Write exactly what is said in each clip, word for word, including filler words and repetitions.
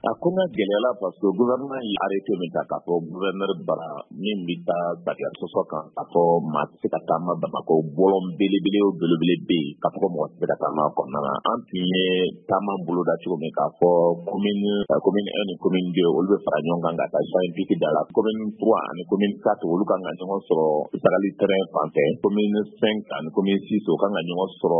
A ko n ka gɛlɛyala parce que gouvernement ye arrêté min ta k'a fɔ gouverneur bara min bɛ taa sariya sɔsɔ kan, k'a fɔ maa tɛ se ka taama Bamakɔ, bɔlɔn belebele o belebele bɛ yen k'a fɔ ko mɔgɔ tɛ se ka taama a kɔnɔna na. An tun ye taama boloda cogo min k'a fɔ commune commune un ni commune deux, olu bɛ fara ɲɔgɔn kan ka taa Champ hippique da la, commune trois ani commune quatre, olu kan ka ɲɔgɔn sɔrɔ Sagali terrain fan fɛ, commune cinq ani commune six, o kan ka ɲɔgɔn sɔrɔ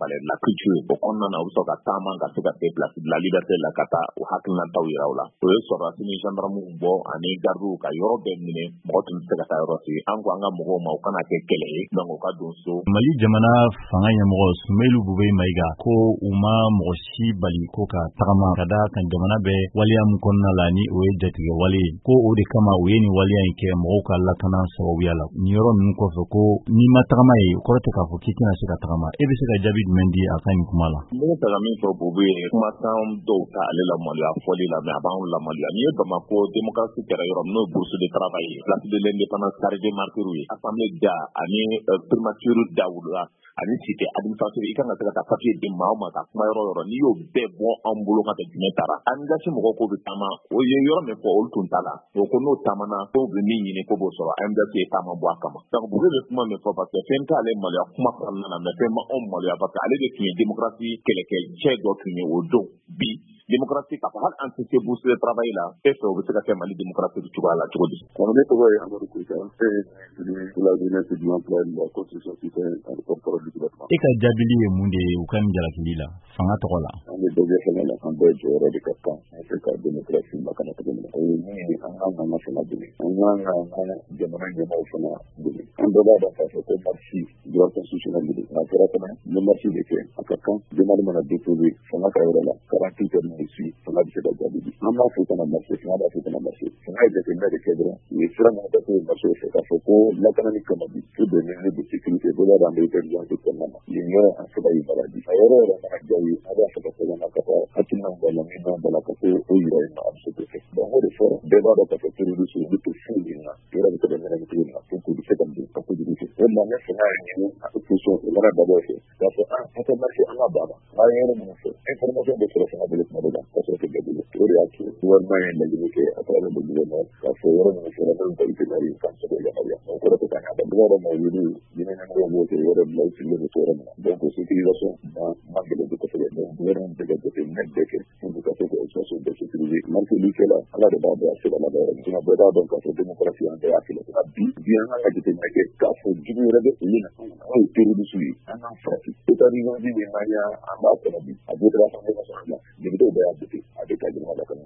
palais de la culture. O kɔnɔna na, u bɛ sɔrɔ ka taama ka se ka se place de la liberté la ka taa o hakilinataw yira u la. O ye sɔrɔdasi ni gendarmew bɔ ani gardiw ka yɔrɔ bɛɛ minɛ, mɔgɔ tun tɛ se ka taa yɔrɔ si. An ko an ka mɔgɔw ma u kana kɛ kɛlɛ ye, donc u ka don so. Mali jamana fanga ɲɛmɔgɔ Soumeylou Boubèye Maïga ko u ma mɔgɔ si bali ko ka tagama, ka da kan jamana bɛ waleya min kɔnɔna la, ni o ye jatigɛ wale ye, ko o de kama u ye nin waleya in kɛ mɔgɔw ka lakana sababuya la. Nin yɔrɔ ninnu kɔfɛ, ko n'i ma tagama ye, o kɔrɔ tɛ k'a fɔ k'i tɛna se ka tagama. E bɛ se ka jaabi jumɛn di a ka nin kuma la? Ne bɛ fɛ ka min fɔ Bobo ye, kumakan dɔw ta ale lamaloya fɔli la, mais a b'anw lamaloya. N'i ye Bamako démocratie kɛra yɔrɔ min, n'o ye bourse de travail ye, place de l'indépendance, carré des martyrs ye, assemblée da ani primature da wula ani cité administrative, i kan ka se ka taa papier di maa o ma ka kuma yɔrɔ yɔrɔ, n'i y'o bɛɛ bɔ an bolo ka tɛ jumɛn taara A M D H mɔgɔw k'o bɛ taama, o ye yɔrɔ min fɔ, olu tun t'a la. O ko n'o taamana, k'o bɛ min ɲini k'o b'o sɔrɔ. A M D H ye taama bɔ a kama. Donc Boubèye bɛ kuma min fɔ, parce que fɛn t'ale maloya kuma kɔnɔna na, mais fɛn ma anw maloya, parce que ale de tun ye démocratie kɛlɛkɛ cɛ dɔ tun ye o don. Bi démocratie, k'a fɔ hali an tɛ se bourse de travail la, e fɛ o bɛ se ka kɛ Mali démocratie cogoya la cogo di? Ne tɔgɔ ye Amadu Koyita, e de la jeunesse de l'emploi de la construction citoyenne ani porte-parole du gouvernement. E ka jaabili ye mun de ye u ka nin jalakili la fanga tɔgɔ la? An bɛ bɛɛ fanga la, an bɛɛ jɔyɔrɔ de ka kan an fɛ ka démocratie lakana cogo min na. O ye min ye, an kan k'an ka fanga dɛmɛ, an kan k'an ka jamana ɲɛmaaw fana dɛmɛ. An bɛɛ b'a dɔn k'a fɔ ko marche, droit constitutionnel de don. N'a kɛra fana, n bɛ marche de kɛ, a ka kan demande mana déposer fanga ka yɔrɔ la, quarante-huit heures de suite, fanga bɛ se ka jaabi di. An b'a fɔ kana marche, fanga b'a fɔ kana marche. Fanga ye jateminɛ de kɛ dɔrɔn, u ye sira min ta marche fɛ, k'a fɔ ko lakanani kama bi, tout des mesures de sécurité, bɛɛ b'a dɔn an bɛ état d'urgence kɔnɔna na. Yen yɔrɔ, an se ka yamaruya di a yɔrɔ yɛrɛ mana diya u ye, an b'a fɛ ka sɛbɛn na ka taa hakilina b'a la, min b'a la ka se o yira yen nɔ, a bɛ se k'o kɛ. Donc o de fɔra, bɛɛ b'a dɔn k'a fɔ terroriste, olu tɛ foyi ɲini na, yɔrɔ bɛ se ka ɲɛnamini cogo min na pour que u bɛ se ka don ka kojugu kɛ. O de la ne fanga y'a ɲini opposition, o mana dabɔ fɛ k'a fɔ an an tɛ marche, an ka ban a ma. An ye yɔrɔ minnu fɔ, information bɛ sɔrɔ fanga bolo tuma dɔ la ka sɔrɔ tɛ bɛɛ bolo. O de y'a to gouvernement ye laɲini kɛ à travers le gouverneur k'a fɔ yɔrɔ minnu fɔra, n'olu ta itinéraire ye, k'an bɛ se k'o yamaruya. O kɔrɔ tɛ k'an y'a ban. Bɛɛ b'a dɔn maa wele diinɛ ɲɛmɔgɔw b'o kɛ yɔrɔ bila, u sigilen bɛ to yɔrɔ min na, donc sécurisation ma man gɛlɛn kosɛbɛ. Donc gouvernement bɛ ka jateminɛ bɛɛ kɛ pour que ka se ka situation bɛɛ sécuriser. Marche kɛla, Ala de b'a dɔn a bɛ se ka laban yɔrɔ min. Sinon bɛɛ b'a dɔn k'a fɔ démocratie, an bɛɛ y'a kɛlɛ. Nka bi bi, an kan ka jateminɛ kɛ k'a fɔ jugu wɛrɛ bɛ olu na, n'o ye terroriste ye, an k'an farati. État d'urgence min n'an y'a an b'a kɔnɔ bi, a voté Assemblée nationale la, député bɛɛ y'a voté, a bɛ ka jamana lakana.